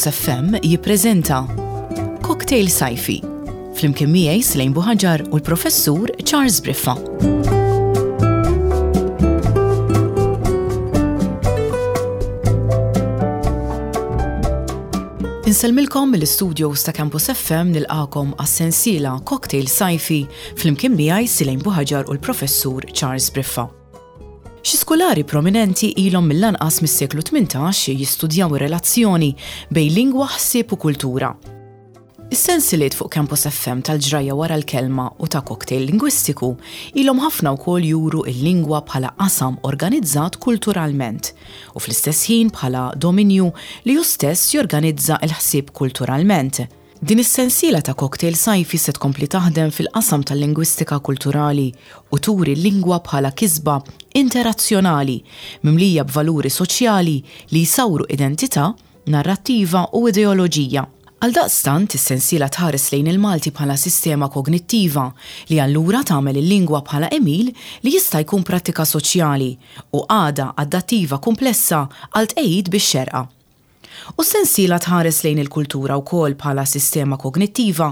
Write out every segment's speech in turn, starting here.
Campus FM jippreżenta Cocktail Sajfi flimkien miegħi Slejn Buħaġar u l-Professur Charles Briffa. Insellmilkom mill-istudios ta' Campus FM nilqakom għas-sensiela Cocktail Sajfi flimkien miegħi Silejn Buħaġar u l-Professur Charles Briffa. Xi skulari prominenti ilhom mill-anqas mis-seklu 18 jistudjaw ir-relazzjoni bejn lingwa, ħsieb u kultura. Is-sensiliet fuq Campus FM tal-ġrajja wara l-kelma u ta' cocktail lingwistiku ilhom ħafna wkoll juru l-lingwa bħala qasam organizzat kulturalment u fl-istess ħin bħala dominju li hu stess jorganizza l-ħsieb kulturalment. Din is-sensiela ta' cocktail sajfi se tkompli taħdem fil-qasam tal-lingwistika kulturali u turi l-lingwa bħala kisba interazzjonali mimlija b'valuri soċjali li jsawru identità, narrattiva u ideoloġija. Għaldaqstant, is-sensiela tħares lejn il-Malti bħala sistema kognittiva li allura tagħmel il-lingwa bħala għemil li jista' jkun prattika soċjali u qagħda adattiva kumplessa għal tqegħid bix-xerqa. U s-sensiela tħares lejn il-kultura wkoll bħala sistema kognittiva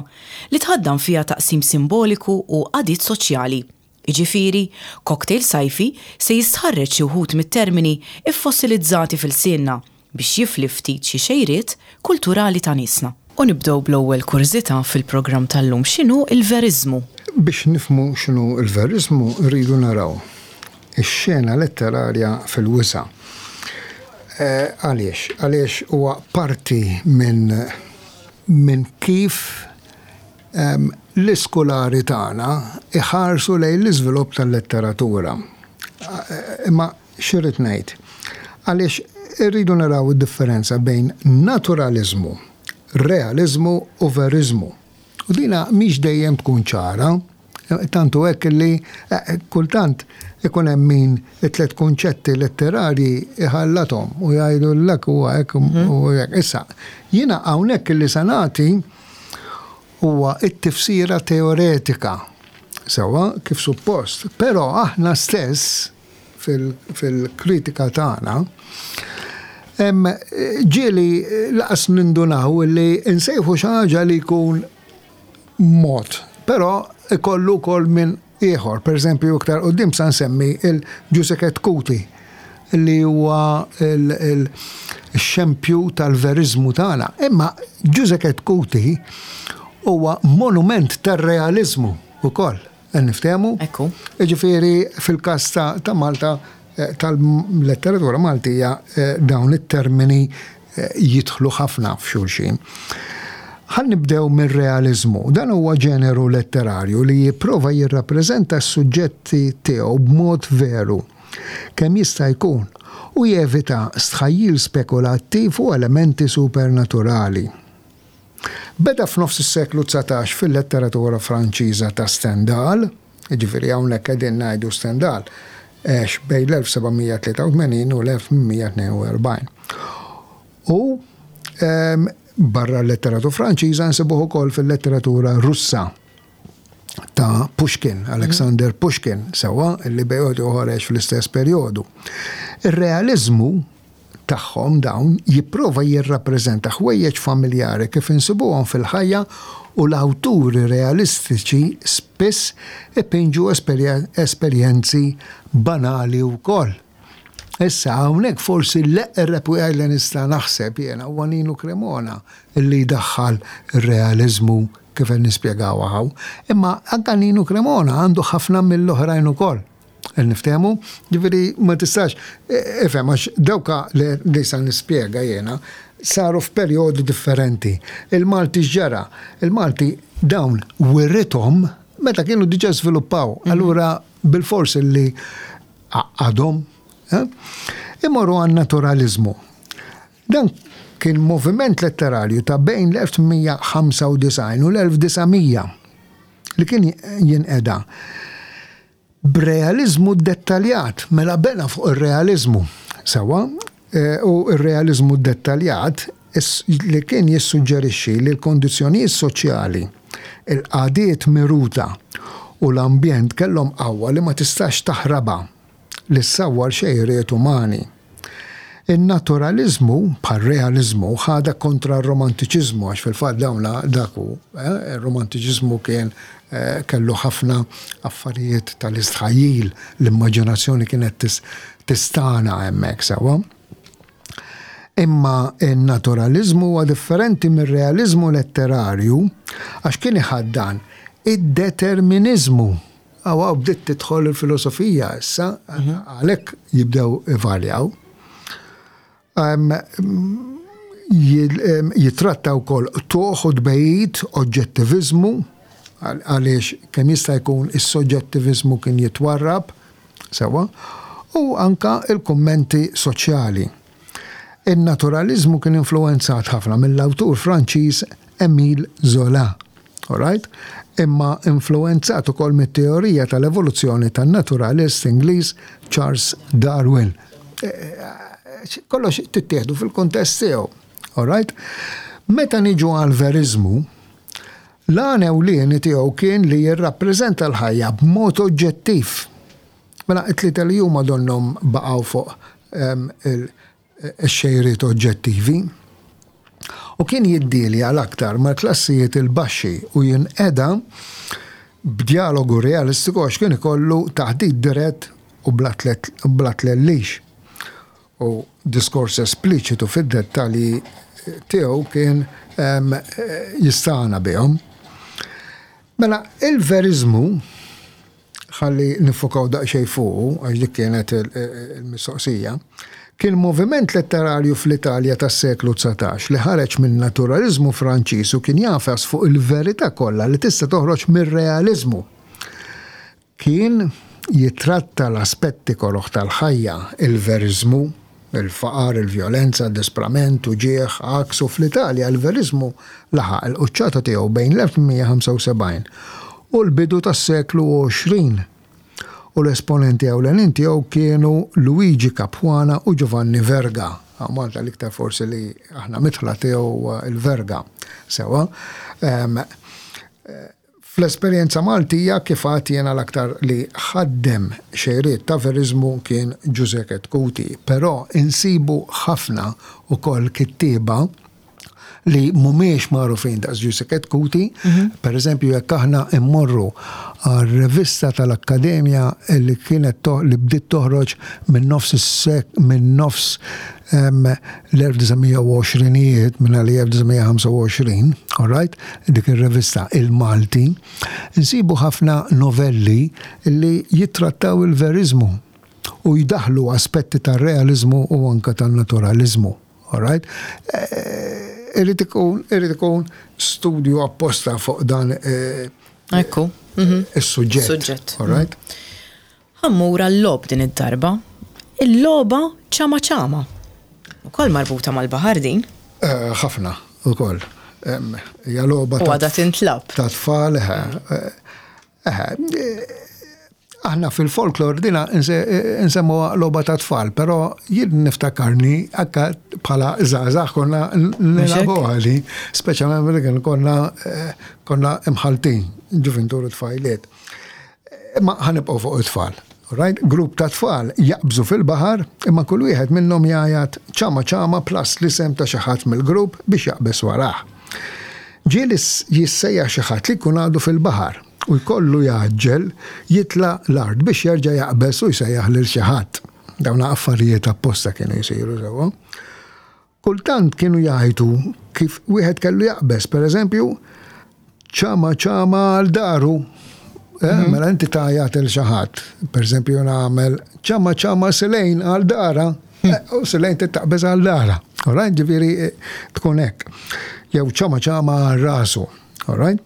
li tħaddan fiha taqsim simboliku u qagħdiet soċjali. Jiġifieri, Cocktail Sajfi se jistħarreġ xi wħud mit-termini ffossilizzati f'ilsienna biex jifli ftit xi xejriet kulturali ta' niesna. U nibdew bl-ewwel kurżità fil-programm tal-lum, x'inhu l-veriżmu? Biex nifhmu x'inhu l-veriżmu rridu naraw ix-xena letterarja fil-wisa'. Għaliex? Għaliex huwa parti minn minn kif l-iskulari tagħna iħarsu lejn l-iżvilupp tal-letteratura. Imma x'irrid ngħid? Għaliex irridu naraw id-differenza bejn naturaliżmu, realiżmu u veriżmu. U dina mhix dejjem tkun ċara. Tant hu hekk li kultant ikun hemm min it-tliet kunċetti letterarji iħallathom u jgħidu l-lek huwa hekk u hekk. Issa, jiena hawnhekk li se nagħti huwa t-tifsira teoretika sewwa kif suppost, però aħna stess fil-kritika tagħna ġieli laqas nindunaw li nsejħu xi ħaġa li jkun mod, però ikollu wkoll minn ieħor. Per eżempju, iktar quddiem sa nsemmi il-Giuseppe Cuti li huwa il-xempju tal-veriżmu tagħna. Imma Giuseppe Cuti huwa monument tar-realiżmu wkoll. Niftehmu? Ekku. Jiġifieri fil-każ ta' Malta tal-letteratura Maltija dawn it-termini jidħlu ħafna f'xulxin. Ħa nibdew mir-realiżmu. Dan huwa ġeneru letterarju li jipprova jirrappreżenta s-suġġetti tiegħu b'mod veru kemm jista' jkun u jevita stħajjil spekulattiv u elementi supernaturali. Beda f'nofs is-seklu 19 fil-letteratura Franċiża ta' Stendhal, jiġifieri hawnhekk qegħdin ngħidu Stendhal għex bejn l-1783 u l-1842. U barra l-letteratura Franċiża nsibuh ukoll fil-letteratura Russa ta' Pushkin, Alexander Pushkin, sewwa li bejn wieħed u ieħor għex fl-istess perjodu. Ir-realiżmu tagħhom dawn jipprova jirrappreżenta ħwejjeġ familjari kif insibuhom fil-ħajja u l-awturi realistiċi spiss ipinġu esperjenzi banali wkoll. Issa hawnhekk forsi l-eqreb wieħed li nista' naħseb jiena huwa Ninu Cremona li jdaħħal ir-realiżmu kif qed nispjegawha hawn. Imma anke Ninu Cremona għandu ħafna mill-oħrajn ukoll. Niftehmu? Ġifieri ma tistax, ifhem għax dawka li sa nispjega jiena saru f'perjodi differenti. Il-Malti x'ġara? Il-Malti dawn wirithom meta kienu diġà żviluppaw. Mhm. Allura bilfors li għadhom. Eh? Imorru għan-naturaliżmu. Dan kien moviment letterarju ta' bejn l-1895 u l-1900 li kien jinqeda B'realiżmu ddettaljat, mela bena fuq ir-realiżmu, sewwa, u r-realiżmu ddettaljat li kien jissuġġerixxi li l-kondizzjonijiet soċjali, il-qagħdiet miruta u l-ambjent kellhom qawwa li ma tistax taħrabha li ssawwar xejriet umani. In-naturaliżmu, bħar-realiżmu, ħadha kontra r-romantiċiżmu għax fil-fatt dawn dak hu, ir-romantiċiżmu kien kellu ħafna affarijiet tal-istħajjil, l-immaġinazzjoni kienet tistagħna hemmhekk sewwa. Imma n-naturaliżmu huwa differenti mir-realiżmu letterarju għax kien iħaddan id-determiniżmu. Hawn hawn bdiet tidħol il-filosofija issa, għalhekk jibdew ivarjaw. Jitratta wkoll qtugħ u tbegħid, oġġettiviżmu, għaliex kemm jista' jkun is-soġġettiviżmu kien jitwarrab, sewwa, u anke l-kummenti soċjali. In-naturaliżmu kien influwenzat ħafna mill-awtur Franċiż Émile Zola. Alright? Imma influwenzat ukoll mit-teorija tal-evoluzzjoni tan-naturalist Ingliż Charles Darwin. Kollox tittieħdu fil-kuntest tiegħu. Alright? Meta niġu għall-veriżmu, l-għan ewlieni tiegħu kien li jirrappreżenta l-ħajja b'mod oġġettiv. Mela t-tlieta li huma donnhom baqgħu fuq ix-xejriet oġġettivi. U kien jiddielja l-aktar mal-klassijiet il-baxxi u jinqeda b'djalogu realistiku għax kien ikollu taħdit dirett u bla tlellix. U diskors espliċitu fid-dettalji tiegħu kien jistagħna bihom. Mela, il-veriżmu ħalli niffokaw daqsxejn fuqu, għax dik kienet il-mistoqsija, kien moviment letterarju fl-Italja tas-seklu 19 li ħareġ min-naturaliżmu Franċiż u kien jagħfas fuq il-verità kollha li tista' toħroġ mir-realiżmu. Kien jittratta l-aspetti koroh tal-ħajja, il-veriżmu, il-faqar, il-vjolenza, disprament, uġigħ, għaks u fl-Italja l-veriżmu laħaq il-quċċata tiegħu bejn l-1875 u l-bidu tas-seklu 20 u l-esponenti ewlenin tiegħu kienu Luigi Capuana u Giovanni Verga. Hawn Malta l-iktar forsi li aħna midħla tiegħu huwa l-Verga. Sewwa. Fl-esperjenza Maltija, kif għedt jiena l-aktar li ħaddem xejriet ta' veriżmu kien Ġużè Chetcuti, però insibu ħafna ukoll kittieba li mhumiex magħrufin daqs Ġużè Chetcuti, per eżempju jekk aħna mmorru għar-revista tal-Akkademja li kienet li bdiet toħroġ minn nofs is-sek minn nofs l-1920ijiet minn 1925, all right? dik ir-revista Il-Malti, insibu ħafna novelli li jittrattaw il-veriżmu u jdaħħlu aspetti tar-realiżmu u anke tan-naturaliżmu. All right? Eh, irid ikun irid ikun studju apposta fuq dan eh, Ekku. Mhm. is-suġġett. Suġġett. All right? Ħa mmur għal-logħob din id-darba. Il-logħba ċama ċama. Ukoll marbuta mal-baħar din. Eh, ħafna ukoll. Hija logħba U għadha tintlab. Ta' tfal, eh, eh, aħna fil-folklor dina nsemmuha logħba ta' tfal, però jien niftakarni akka bħala żgħażagħ konna nilagħbuha li, speċjalment meta kien konna konna imħaltin, ġuvintur u tfajliet. Imma ħa nibqgħu fuq it-tfal. Right? Grupp ta' tfal jaqbżu fil-baħar imma kull wieħed minnhom jgħajat ċama ċama plus l-isem ta' xi ħadd mill-grupp biex jaqbeż warah. Ġieli jissejjaħ xi ħadd li jkun għadu fil-baħar u jkollu jgħaġġel jitla' l-art biex jerġa' jaqbeż u jsejjaħ lil xi ħadd. Dawn affarijiet apposta kienu jsiru sewwa. Kultant kienu jgħajtu kif wieħed kellu jaqbeż, per eżempju, ċama ċama għal daru. Eh, mhm. Mela inti tgħajjat il xi ħadd. Per eżempju nagħmel ċama ċama silejn għal dara. Hmm. Eh, u silejn taqbeż għal dara. Alright, ġifieri eh, tkun hekk. Jew ċama ċama għal rasu. Alright?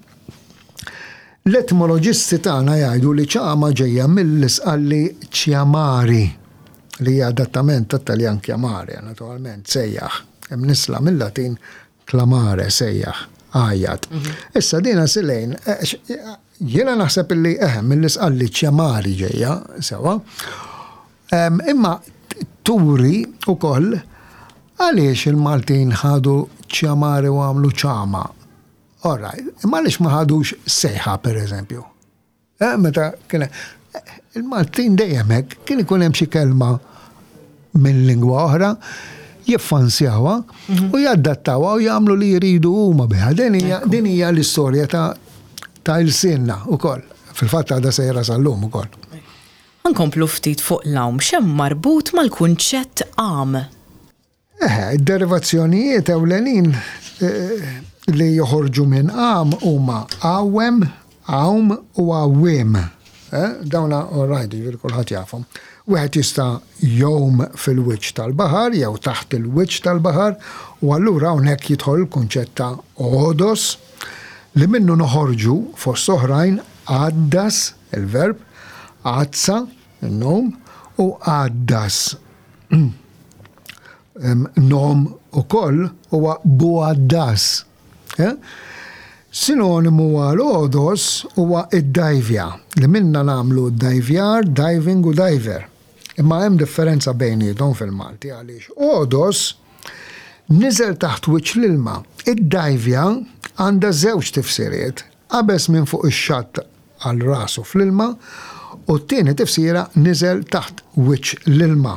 L-etmoloġisti tagħna jgħidu li ċama ġejja mill-isqalli ċjamari. li hija adattament tat-Taljan chiamare, naturalment, sejjaħ, imnissla mil-Latin clamare, sejjaħ, għajjat. Mhm. Issa dina silejn, eh, jiena naħseb illi eħe eh, mill-isqalli chiamari ġejja, sewa. Imma turi ukoll għaliex il-Maltin ħadu chiamare u għamlu ċama. All right, imma għaliex ma ħadux sejħa per eżempju? Eh, meta kien il-Maltin dejjem hekk kien ikun hemm xi kelma. minn lingwa oħra, jiffansjawha u jadattawha u jagħmlu li jridu huma biha. Din hija din hija l-istorja ta' ta' ilsienna wkoll. Fil-fatt għadha sejra sal-lum ukoll. Ħa nkomplu ftit fuq l-għawm. X'hemm marbut mal-kunċett għam? Eħe, id-derivazzjonijiet ewlenin li joħorġu minn għam huma għawwem, għawm u għawwiem. Dawna all right, jiġifieri kulħadd jafhom. Wieħed jista' jgħum fil-wiċċ tal-baħar jew taħt il-wiċċ tal-baħar u allura hawnhekk jidħol il-kunċett ta' għodos li minnu noħorġu fost oħrajn għaddas, il-verb, għadsa, in-nom, u għaddas. Nom ukoll huwa bugħaddas. Eh? Sinonimu għal għodos huwa id-dajvja, li minna nagħmlu dajvjar, diving u diver. Imma hemm differenza bejniethom fil-Malti għaliex għodos niżel taħt wiċċ l-ilma. Id-dajvja għandha żewġ tifsiriet, qabeż minn fuq ix-xatt għal rasu fl-ilma u t-tieni tifsira niżel taħt wiċċ l-ilma.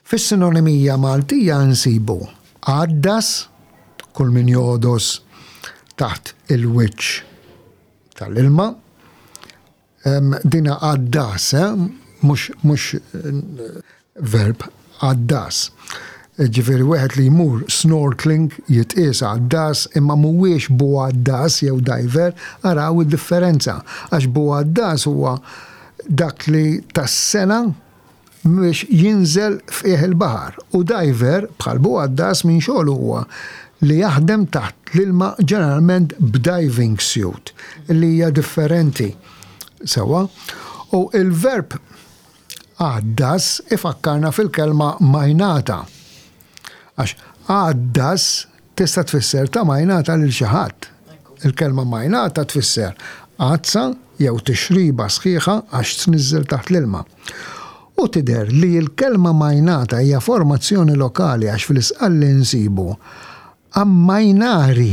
Fis-sinonimija Maltija nsibu għaddas, kull min jogħdos taħt il-wiċċ tal-ilma. Dina għaddas, eh? mhux mhux verb, għaddas. Ġifieri wieħed li jmur snorkeling jitqies għaddas imma mhuwiex bugħaddas jew diver, araw id-differenza. Għax bugħaddas huwa dak li tas-sena biex jinżel f'qiegħ il-baħar u diver, bħal bugħaddas, minn xogħlu huwa li jaħdem taħt l-ilma ġeneralment b'diving suit li hija differenti. Sewwa? U il-verb għaddas ifakkarna fil-kelma majnata. Għax għaddas tista' tfisser ta' majnata lil xi ħadd. Il-kelma majnata tfisser għadsa jew tixriba sħiħa għax tniżżel taħt l-ilma. U tidher li l-kelma majnata hija formazzjoni lokali għax fl-Isqalli nsibu ammajnari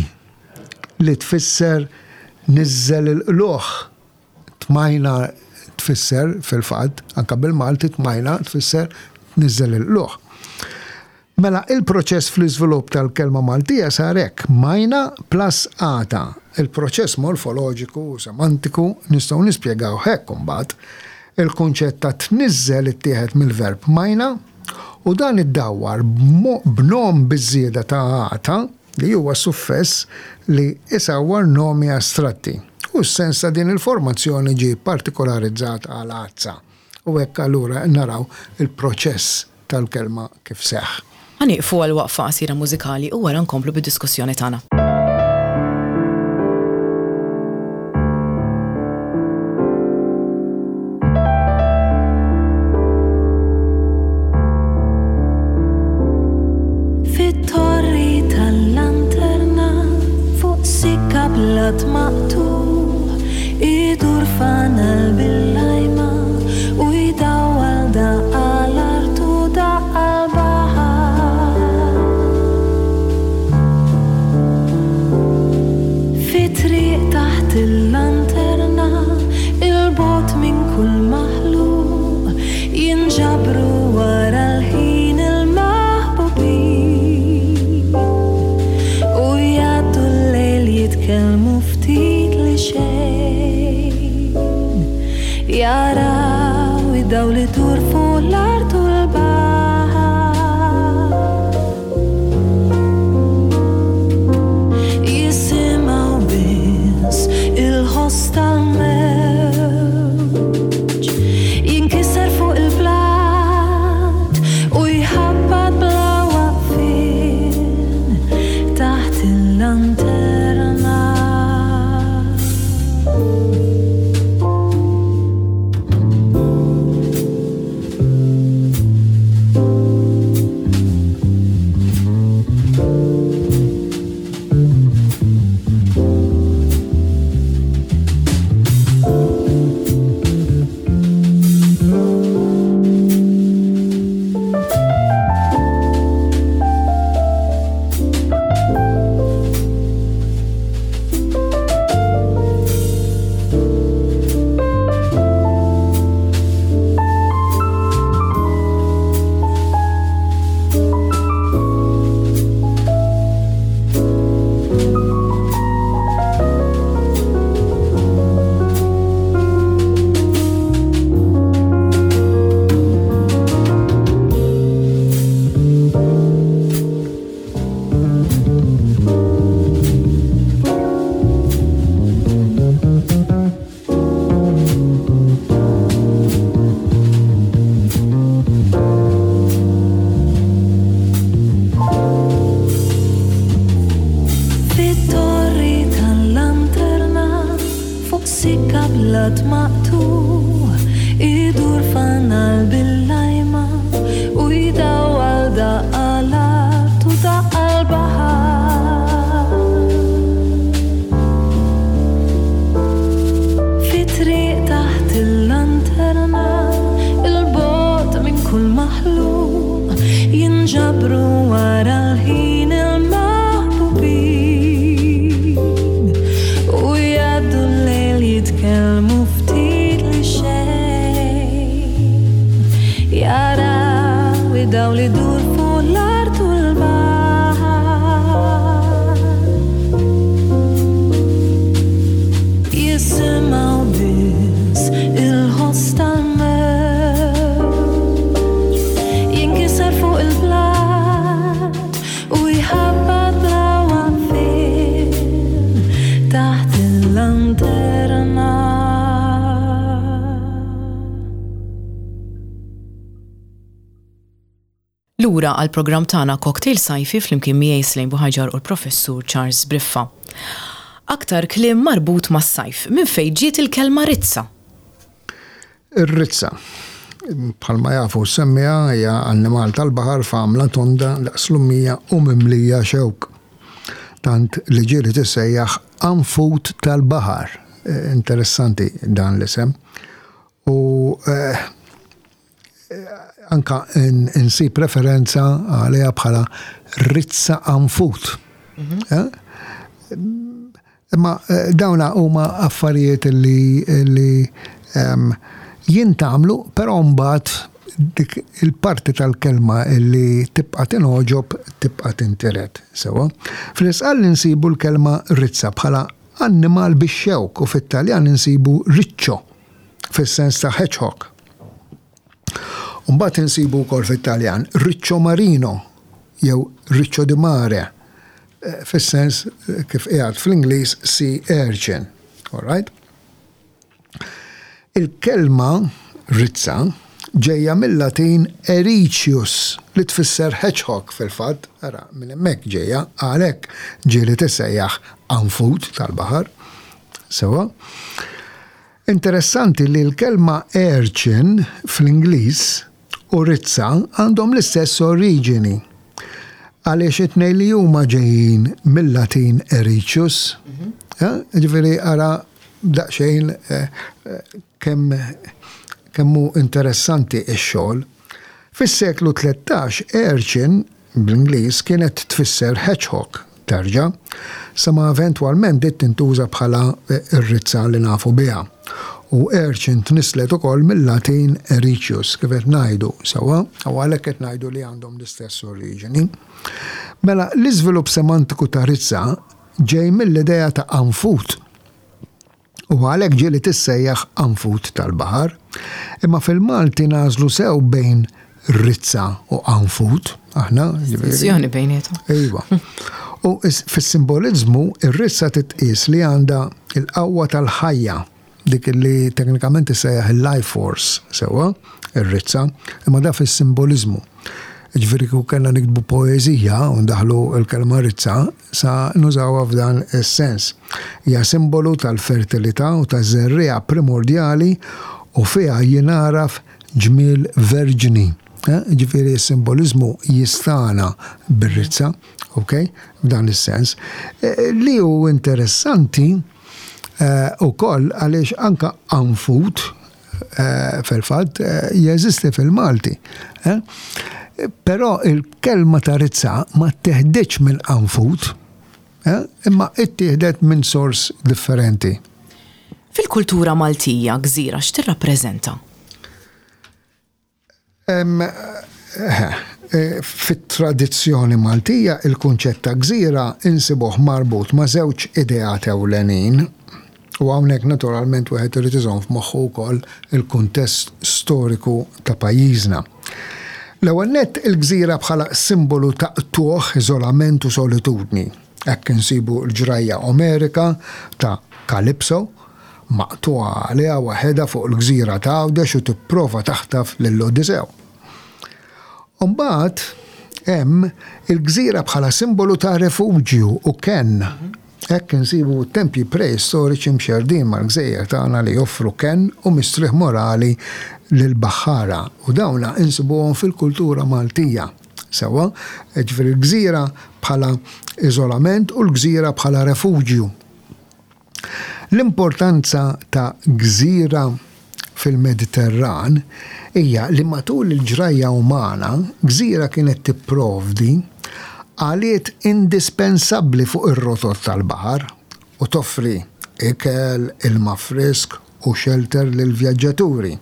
li tfisser niżżel il-qlugħ. Tmajna tfisser fil-fatt, anke bil-Malti tmajna tfisser tniżżel il-qlugħ. Mela il-proċess fl-iżvilupp tal-kelma Maltija sar hekk, majna plus għata. Il-proċess morfoloġiku u semantiku nistgħu nispjegawh hekk imbagħad. Il-kunċett ta' tniżżel ittieħed mill-verb majna u dan iddawwar b'nom biż-żieda ta' għata li huwa suffess li isawwar nomi astratti. U s-sens ta' din il-formazzjoni ġie partikolarizzat għal għadsa. U hekk allura naraw il-proċess tal-kelma kif seħħ. Ħa nieqfu għal waqfa qasira mużikali u wara nkomplu bid-diskussjoni tagħna. Fit-torri tal-lanterna fuq sikka blat maqtugħ idur fanal bil-lajma u jdawwal daqqa l-art u daqqa l-baħar. Fi triq taħt il-lanterna, 'il bogħod minn kull maħluq, jinġabru wara l-ħin il-maħbubin u jgħaddu l-lejl jitkellmu ftit li xejn. Jaraw id-dawl idur fuq l-art u l-baħar. Jisimgħu biss il-ħoss tal-mewġ jinkiser fuq il-blat u jħabbat bla waqfien taħt il-lanterna. blat maqtugħ idur fanal bil-lajma u jdawwal daqqa l-art u daqqa l-baħar. Fi triq taħt il-lanterna 'l bogħod minn kull maħluq jinġabru wara l-ħin il-maħbubin u jgħaddu l-lejl jitkellmu ftit li xejn jaraw id-dawl idur fuq l-art u l-baħar jisimgħu biss il-ħoss tal-mewġ jinkiser fuq il-blat u jħabbat bla waqfien taħt il-lanterna. Lura għall-programm tagħna Cocktail Sajfi flimkien miegħi Slane Buhaġar u l-Professur Charles Briffa. Aktar kliem marbut mas-sajf. Minn fejn ġiet il-kelma rizza? Ir-rizza, bħalma jafu s-semmiegħa, hija annimal tal-baħar f'għamla tonda daqs lummija u mimlija xewk. Tant li ġieli tissejjaħ anfut tal-baħar. Interessanti dan l-isem. U anka insib referenza għaliha bħala rizza anfut. Imma dawna huma affarijiet li li jintgħamlu, però mbagħad dik il-parti tal-kelma li tibqa' tingħoġob tibqa' tintiret. Sewwa. Fl-Isqalli nsibu l-kelma rizza bħala annimal bix-xewk u fit-Taljan insibu riccio fis-sens ta' hedgehog. U mbagħad insibu wkoll fit-Taljan riccio marino jew riccio di mare fis-sens kif qiegħed fl-Ingliż sea urchin. All right? Il-kelma rizza ġejja mill-Latin ericius li tfisser hedgehog fil-fatt, ara minn hemmhekk ġejja, għalhekk ġieli tissejjaħ anfut tal-baħar. Sewwa. Interessanti li l-kelma urchin fl-Ingliż u rizza għandhom l-istess oriġini, għaliex it-tnejn li huma ġejjin mil-Latin ericius. Jiġifieri ara daqsxejn kemm kemm hu interessanti x-xogħol. Fis-seklu 13, urchin bl-Ingliż kienet tfisser hedgehog, terġa', sa ma eventwalment bdiet tintuża bħala r-rizza li nafu biha. U urchin tnisslet ukoll mil-Latin ericius, kif qed ngħidu, sewwa? U għalhekk qed ngħidu li għandhom l-istess oriġini. Mela, l-iżvilupp semantiku ta' rizza ġej mill-idea ta' qanfud. U għalhekk ġieli tissejjaħ qanfud tal-baħar. Imma fil-Malti nagħżlu sew bejn rizza u qanfud, aħna. Distinzjoni bejniethom. Iva. U fis-simboliżmu ir-rizza titqies li għandha l-qawwa tal-ħajja, dik li teknikament tissejjaħ il-life force, sewwa, ir-rizza, imma da fis-simboliżmu. Jiġifieri kieku kellna niktbu poeżija u ndaħħlu l-kelma rizza, sa nużawha f'dan is-sens. Hija simbolu tal-fertilità u taż-żerriegħa primordjali u fiha jingħaraf ġmiel verġni. Jiġifieri s-simboliżmu jistagħna bir-rizza, ok, f'dan is-sens. Li hu interessanti ukoll għaliex anke anfut, fil-fatt jeżisti fil-Malti. Però il-kelma ta' rizza ma tteħditx minn qanfud, imma ittieħdet minn sors differenti. Fil-kultura Maltija, gżira x'tirrappreżenta? Fit-tradizzjoni Maltija il-kunċett ta' gżira insibuh marbut ma' żewġ ideat ewlenin, u hawnhekk naturalment wieħed irid iżomm f'moħħu wkoll il-kuntest storiku ta' pajjiżna. L-ewwel nett il-gżira bħala simbolu ta' qtugħ, iżolament u solitudni. Hekk insibu l-ġrajja Omerika ta' Kalipso, maqtugħa għaliha waħedha fuq il-gżira ta' Għawdex u tipprova taħtaf lil Odisew. U mbagħad hemm il-gżira bħala simbolu ta' refuġju u kenn. Hekk insibu tempji preistoriċi mxerrdin mal-gżejjer tagħna li joffru kenn u mistrieħ morali lill-baħħara u dawna insibuhom fil-kultura Maltija. Sewwa, jiġifieri l-gżira bħala iżolament u l-gżira bħala refuġju. L-importanza ta' gżira fil-Mediterran hija li matul il-ġrajja umana, gżira kienet tipprovdi għaliet indispensabbli fuq ir-rotot tal-baħar u toffri ikel, ilma frisk u xelter lill-vjaġġaturi.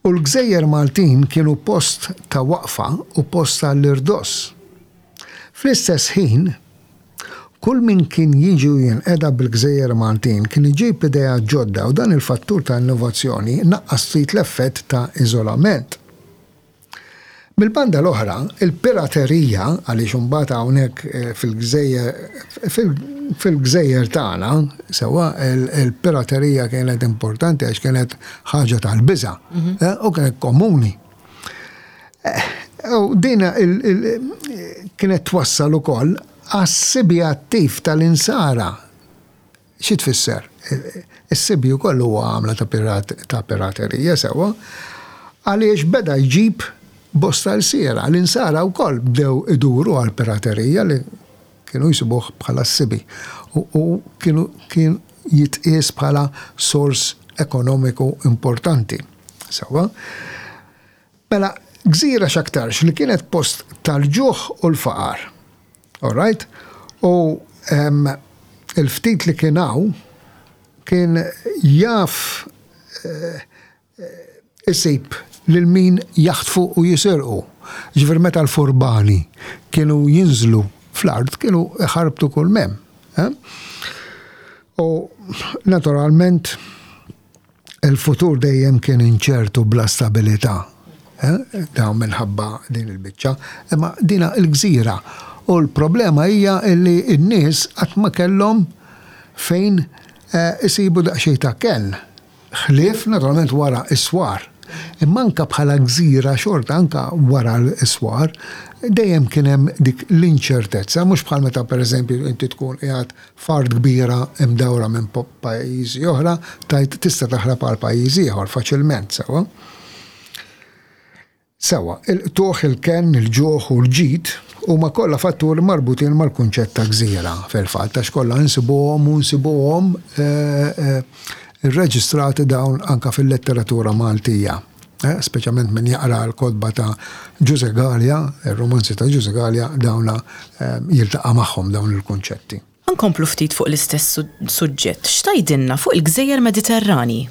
U l-gżejjer Maltin kienu post ta' waqfa u post għall-irdoss. Fl-istess ħin, kull min kien jiġi u jinqeda bil-gżejjer Maltin kien iġib ideat ġodda u dan il-fattur ta' innovazzjoni naqqas ftit l-effett ta' iżolament. Mill-banda l-oħra, il-piraterija, għaliex imbagħad hawnhekk fil-gżejjer fil-gżejjer tagħna, sewwa, il-piraterija kienet importanti għax kienet ħaġa tal-biża' u kienet komuni. U din kienet twassal ukoll għas-sibi attiv tal-insara. Xi tfisser? Is-sibi wkoll huwa għamla ta' piraterija sewwa, għaliex beda jġib bosta lsiera. L-insara wkoll bdew iduru għall-piraterija li kienu jsibuh bħala s-sibi u kienu kien jitqies bħala sors ekonomiku importanti. Sewwa. Mela, gżira x'aktarx li kienet post tal-ġuħ u l-faqar. All right? U il-ftit li kien hawn kien jaf eh, isib lil min jaħtfu u jisirqu. Ġifieri meta l-furbani kienu jinżlu fl-art kienu iħarbtu kull mem. Eh? U naturalment Il-futur dejjem kien inċert u bla stabilità. Dawn minħabba din il-biċċa. Imma dina l-gżira. U l-problema hija li n-nies qatt ma kellhom fejn isibu daqsxejn ta' kenn. Ħlief naturalment wara s-swar. Imma anke bħala gżira xorta anke wara s-swar dejjem kien hemm dik l-inċertezza, mhux bħal meta pereżempju inti tkun qiegħed F'art kbira imdawra minn pajjiżi oħra, tgħid tista' taħrab għal pajjiż ieħor faċilment, sewwa? Sewwa, il-qtugħ, il-kenn, il-ġuħ u l-ġid huma kollha fatturi marbutin mal-kunċett ta' gżira, fil-fatt, għax kollha nsibuhom u nsibuhom irreġistrati dawn anke fil-letteratura Maltija. Speċjalment min jaqra l-kotba ta' Ġużè Galea, ir-rumanzi ta' Ġużè Galea, dawna jiltaqa' magħhom dawn il-kunċetti. Ħa nkomplu ftit fuq l-istess suġġett. X'tgħidilna fuq il-gżejjer Mediterranji?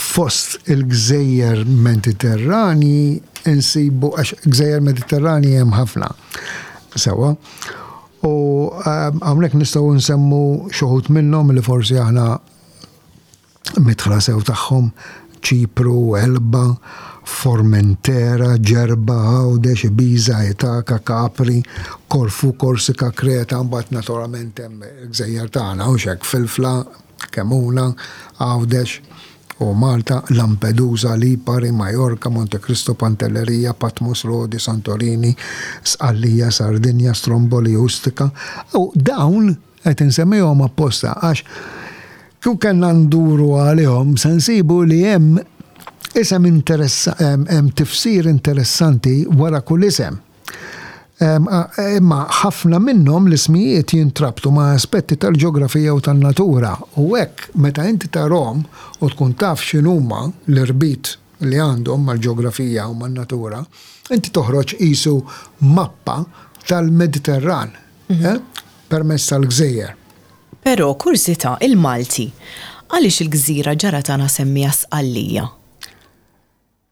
Fost il-gżejjer Mediterranji insibu, għax gżejjer Mediterranji hemm ħafna, sewwa, u hawnhekk nistgħu nsemmu xi wħud minnhom li forsi aħna midħla sew tagħhom, Ċipru, Elba, Formentera, Ġerba, Għawdex, Ibiza, Itaka, Capri, Korfu, Korsika, Kreta, mbagħad naturalment hemm il-gżejjer tagħna, hux hekk, Filfla, Kemuna, Għawdex u Malta, Lampedusa, Lipari, Majorka, Monte Cristo, Pantelleria, Patmos, Rodi, Santorini, Sqallija, Sardinja, Stromboli, Ustica. U dawn qed insemmihom apposta għax kieku kellna nduru għalihom se nsibu li hemm isem hemm tifsir interessanti wara kull isem. Imma ħafna minnhom l-ismijiet jintrabtu ma' aspetti tal-ġeografija u tan-natura u hekk meta inti tarhom u tkun taf x'inhuma l-irbit li għandhom mal-ġeografija u man-natura, inti toħroġ qisu mappa tal-Mediterran permezz tal-gżejjer. Però, kurżità, il-Malti għaliex il-gżira ġara tagħna semmiha Sqallija?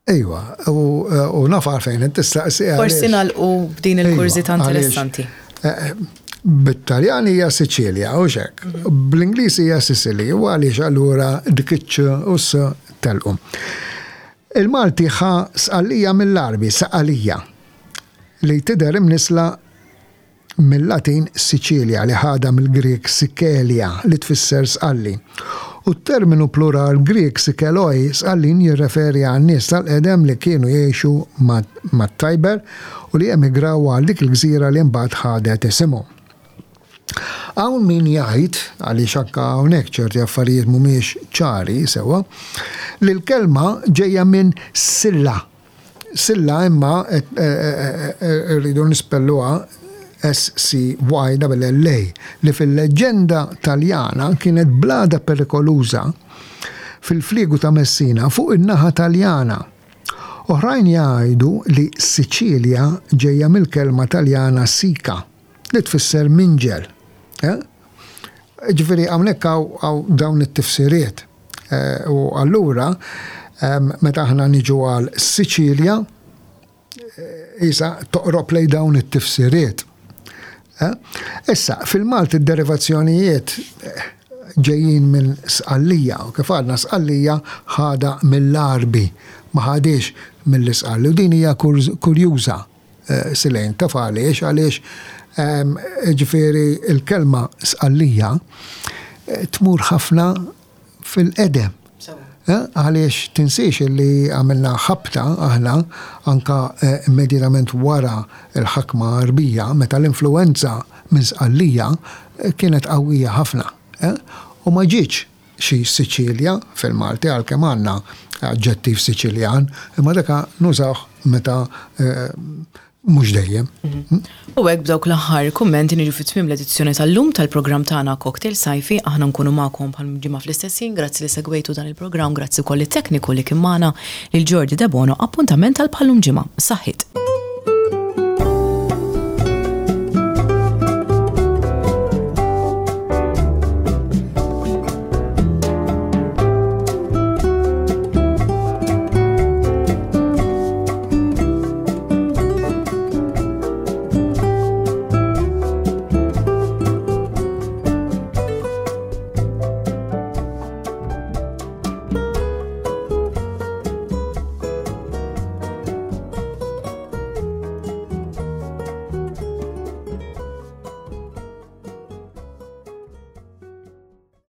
Ejwa, u naf għalfejn qed tistaqsi. Forsi nagħlqu b'din il-kurżità interessanti. Eh, Bit-Taljan hija Siċilja, u xek. Mhm. Bl-Ingliż hija Sicily, u għaliex allura dik iċ u s telqu. Il-Malti ħa sqallija mill-Arbi, saqalija, li tidher imnisla mill-Latin Sicilia li ħadha mill-Grieg Sikelia li tfisser Sqalli. U t-terminu plural Grieg Sikeloi, Sqallin, jirreferi għan-nies tal-qedem li kienu jgħixu mat-Tiber u li emigraw għal dik il-gżira li mbagħad ħadet isimhom. Hawn min jgħid, għaliex anke hawnhekk ċerti affarijiet mhumiex ċari sewwa, li l-kelma ġejja minn Silla. Silla imma rridu nispelluha S-C-Y-L-L-A, li fil-leġġenda Taljana kienet blada perikoluża fil-fliegu ta' Messina fuq in-naħa Taljana. Oħrajn jgħidu li Siċilja ġejja mill-kelma Taljana sica, li tfisser minġel. Ġifieri hawnhekk hawn dawn it-tifsiriet. U allura meta aħna niġu għal Siċilja, isa toqrob lejn dawn it-tifsiriet. Issa, fil-Malti d-derivazzjonijiet ġejjin minn Sqallija, u kif għadna Sqallija ħadha mill-Għarbi, ma ħadhiex mill-Isqalli, u din hija kurjuża. Silejn, taf għaliex? Għaliex ġifieri l-kelma Sqallija tmur ħafna fil-qedem. Għaliex tinsiex li għamilna ħabta aħna anka immedjatament wara l-ħakma Għarbija meta l-influwenza minn Sqallija kienet qawwija ħafna. U ma ġietx xi Siċilja fil-Malti għalkemm għandna aġġettiv Siċiljan, imma dak nużawh meta mhux dejjem. U hekk b'dawk l-aħħar kummenti niġu fi tmiem l-edizzjoni tal-lum tal-programm tagħna Cocktail Sajfi. Aħna nkunu magħkom bħal ġimgħa fl-istess ħin. Grazzi li segwejtu dan il-programm, grazzi wkoll lit-tekniku li kien magħna lil Jordi Debono. Appuntament għal bħal-lum ġimgħa. Saħħiet.